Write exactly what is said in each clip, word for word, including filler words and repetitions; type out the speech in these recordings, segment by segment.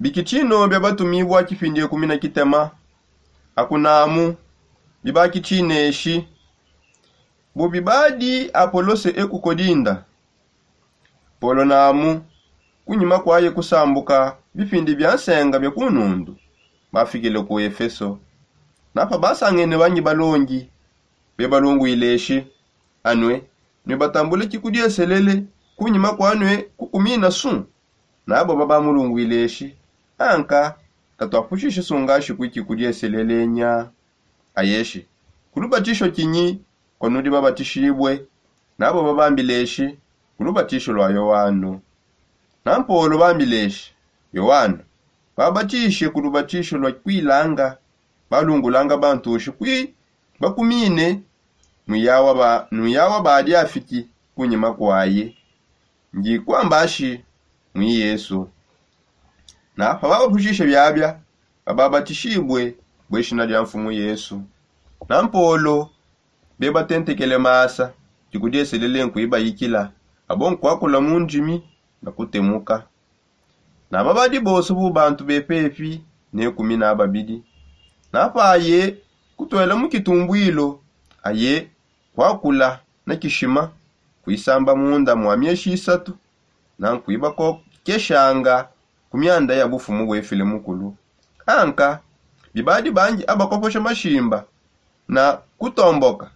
Bikitshino bia batumibua kipindi ekumi na kitema. Akunamu bibakitshineshi. Bu bibadi apolose ekukodinda, polo namu kunyima kuaye kusambuka bipindi bia nsenga bia ku nundu, bafikile ku efeso. Napa basangene bangi balongi, bebalungwile eshi, anue nue batambule kikudieselele kunyima kua nue kukumina su. Nabo babamulungwileshi, anka katuapushishe sungashi kuiki kudieselelenya. Ayeshi, ku lubatisho kinyi kua nudi babatishibue? Nabo babambileshi, ku lubatisho lua yoano. Nampolo bambileshi, yoano babatishe ku lubatisho lua kuilanga, balungulanga bantushi kui bakumine. Nuyawa badi afiki kunyima kuaye, ndi kuambashi mui yesu. Napa babapushishe biabia, bababatishibue bue shina dia mfumu yesu. Nampolo bebatentekele masa, dikudieselele nkuibayikila, abo nkuakula mu ndimi na kutemuka. Naba badi bonso bu bantu bepepi ne kumi na babidi. Napaye kutuela mu kitumbuilo, aye kuakula na kishima kuisamba munda mua mieshi isatu, na nkuibakokeshanga ku mianda ya bufumu buefile mukulu. Anka bibadi bangi abakoposha mashimba na kutomboka,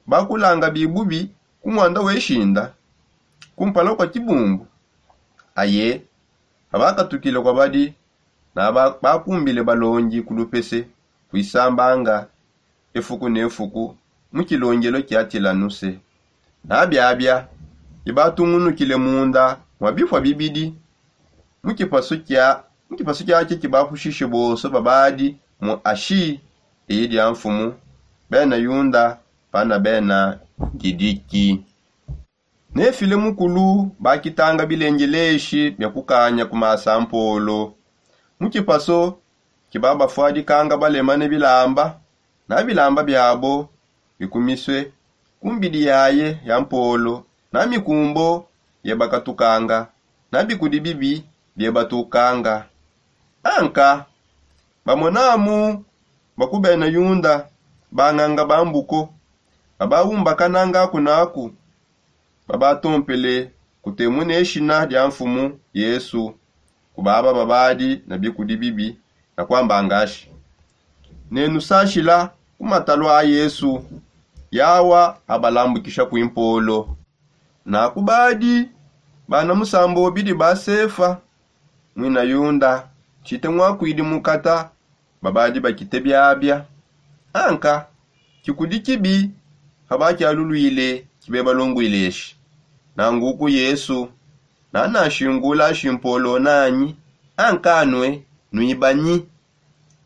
bakulanga bibubi ku muanda weshinda kumpala kua kibumbu. Aye pabakatukile kua badi, na bakumbile balongi ku lupese kuisambanga efuku ne fuku mu kilongelo kia tilanuse. Na biabia bibatungunukile munda mua bipua bibidi mu kipasu kia mu kipasu kiakia kibapushishe bonso babadi mu ashi, eyi dia mfumu, bena yunda pana bena didiki. Nefile mukulu bakitanga bilengeleshi bia kukanya ku masa mpolo. Mu kipaso kibabafuadikanga balema ne bilamba, na bilamba biabo bikumisue ku mbidi yaye ya mpolo, na mikumbo biebakatukanga, na bikudi bibi biebatukanga. Anka bamonamu bakubena yunda, banganga bambuko babawumbakananga kunaku, babatompele kutemuna eshina dia mfumu yesu, kubaba babadi na bikudi bibi, na kuambanga ashi, nenusashila ku matalu a yesu, yawa abalambukisha kuimpolo. Na kubadi bana musambo bidi ba sefa, muina yunda, tshite muakuidi mukata, babadi bakite biabia. Anka kikudi kibi pabakialuluile kibebalungwile eshi, nanguku yesu nanashingula shimpolo nanyi? Anka nue nuibanyi?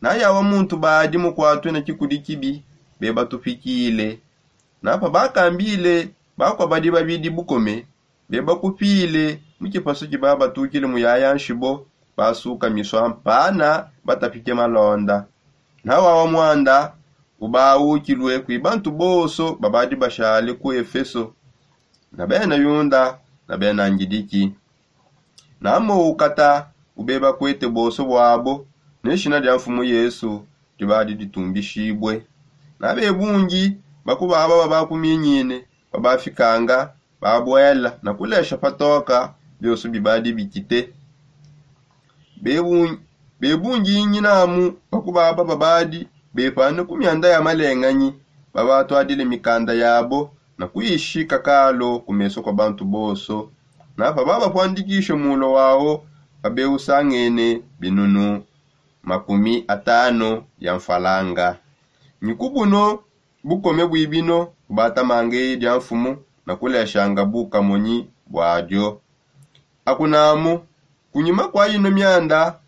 Na yawa muntu badi mukuatue ne kikudi kibi bebatupikile. Na pabakambile bakua badi babidi bukome, bebakupile mu kipasu kibabatukile mu yaya nshibo, basuka misua mpana batapike malonda. Na wawa muanda ubawukilue kui bantu bonso babadi bashale ku efeso, na bena yunda na bena ngidiki. Na moukata ubebakuete bonso buabo, ne shina dia mfumu yesu dibadi ditumbishibue. Na bebungi bakubaba babakuminyine babafikanga, babuela na kulesha patoka bionso bibadi bikite. Bebungi nyinamu bakubaba babadi bepane ku mianda ya malenganyi, babatuadile mikanda yabo na kuishika kalo ku meso kua bantu bonso. Na pababapuandikishe mulo wao, pabeusangene binunu makumi atano ya mfalanga. Nyi ku buno bukome buibino bubatamanga eyi dia mfumu na kuleshanga bukamonyi buadio. Akunamu kunyima kua ino mianda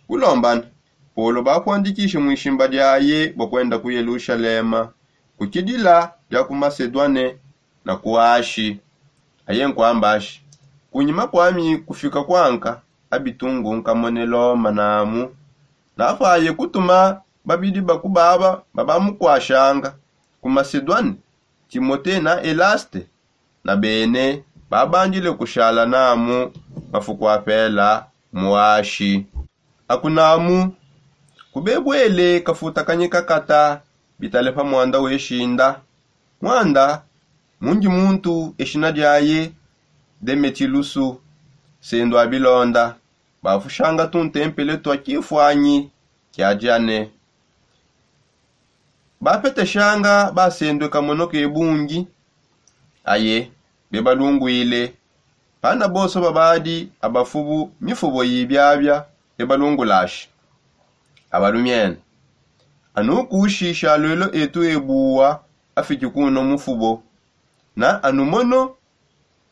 kulombana, polo bakuandikishe muishimba diaye bua kuenda ku yelushalema, ku kidila dia ku masedwane na ku ashi. Aye nkuamba ashi, kunyima kuami kufika kuanka abitungu nkamone loma namu. Napaye kutuma babidi bakubaba babamukuashanga ku masedwane, timote na elaste, na bene babandile kushala namu mafuku apela mu ashi. Akunamu kubebwele kafuta kanyi kakata bitale pa mwanda weshinda. Mwanda mungi muntu eshina diaye demetilusu sendwa bilonda. Bafushanga tuntempele twa kifuanyi kia diane. Bapeteshanga basendwe kamono ke bungi aye bebalungwile. Pana bonso babadi abafubu mifubo yibiabia bebalungulashi abalumiene. Anukushisha lwelo etu ebuwa afiki kuno mufubo na anumono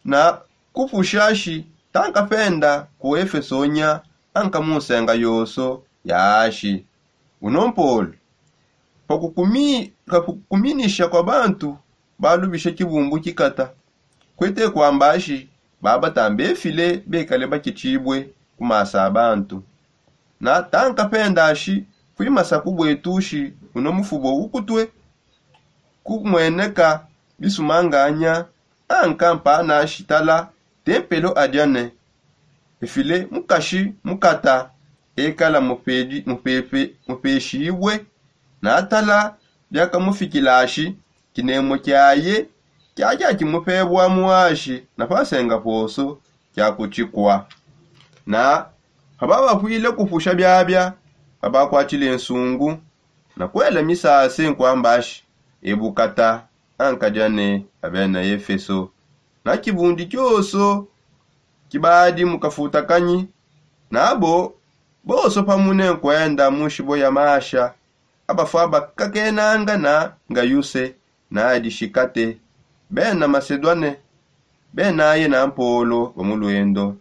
na kupushashi tankapenda ku efesonya anka munsenga yonso ya ashi. Uno mpolo pakukuminisha kwa bantu balubisha kibumbu kikata kwete kwambashi babatambefile bekale bakitshibue ku masa a bantu. Na tankapendashi kwimasa kubwetushi uno mufubo ukutue kumweneka bisumanganya anka mpanashi tala tempelo adiane. Efile mukashi mukata ekala mupeshibue na tala biakamufikilashi kinemo kiaye kiakiakimupebua muashi na pasenga poso kiakutshikua. Na pababapwile kupusha biabia babakwatshile nsungu na kuela misase nkuambashi ebukata anka diane abena efeso. Na kibundi kioso kibadi mu kafuta kanyi nabo bonso pamune nkuenda mu nshibo ya masha abafua bakakenanga na ngayuse na adishikate bena masedwane benaye na mpolo ba mu lwendo.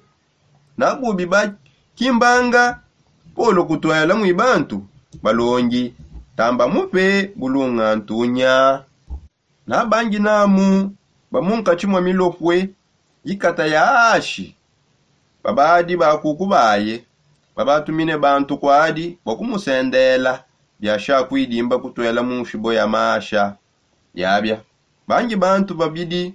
Na bubi bakimbanga polo kutwela mwi bantu balongi tamba mupe bulungantunya. Na bangi namu ba munkatshi mua milopue yikata ya ashi babadi bakuku baye babatumine bantu kuadi bua kumusendela biasha kuidimba kutwela mu nshibo ya masha. Yabia bangi bantu babidi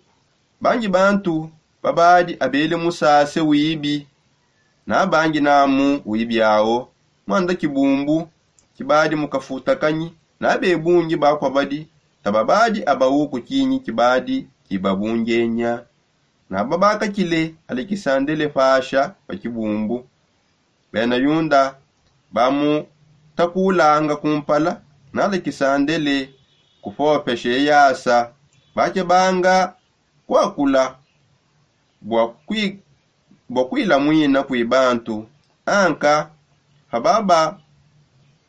bangi bantu babadi abele musase wibi. Na bangi namu wibi awo mwanda kibumbu kibadi mu kafuta kanyi na bebungi bakua badi tababadi abawu ku kinyi kibadi kibabungenya. Na babakakile alekisandele pasha pa kibumbu bena yunda bamutakulanga kumpala na alekisandele kupopesha eyasa bakebanga kuakula bua kuilamuina kui bantu. Anka pababa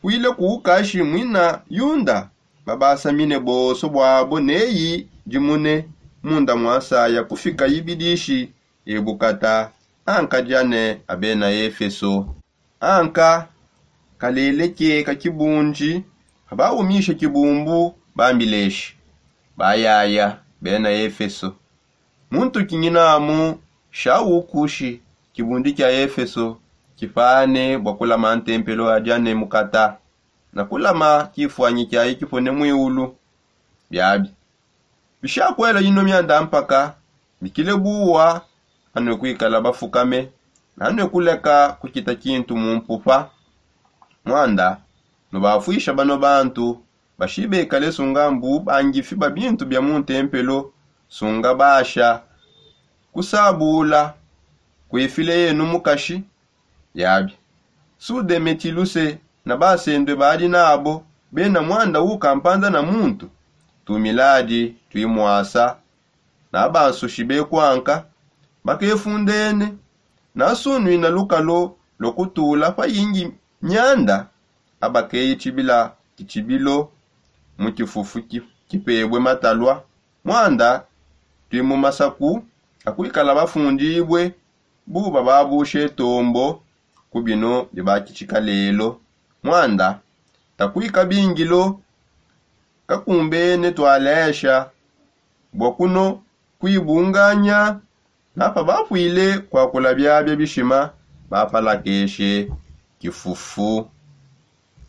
puile kuukashi muina yunda babasamine bonso buabo neyi dimune munda mua nsaya kufika yibidishi ebukata anka diane abena efeso. Anka kaleleke ka kibundi pabaumisha kibumbu bambileshi bayaya bena efeso. Muntu kinyinamu shawukushi kibundi kia efeso kipane bua kulama ntempelo adia ne mukata na kulama kifuanyi kiaye kipone muiulu. Biabi bishakuela ino mianda mpaka mikile buwa anue kuikala bafukame na anue kuleka kukita kintu mu mpupa. Mwanda nubafuisha bano bantu bashi bekale sunga mbu bangifi ba bintu bia mu ntempelo sunga basha kusabula kuefile yenu mukashi. Yabi sudemetiluse na basendwe badi nabo bena mwanda ukampanda na muntu tumiladi tuimwasa na bansushi bekuanka bakefundene na sunwina lukalo lua kutula payingi mianda abakeye tshibila tshitshibilo mu kifufu kipebue matalua. Mwanda tui mu masaku akuikala bafundibue buba babushe tombo ku bino bibakitshika lelo. Mwanda takuika bingilo kakumbene tualesha bua kuno kuibunganya na pabapwile kuakula biabia bishima bapalakeshe kifufu.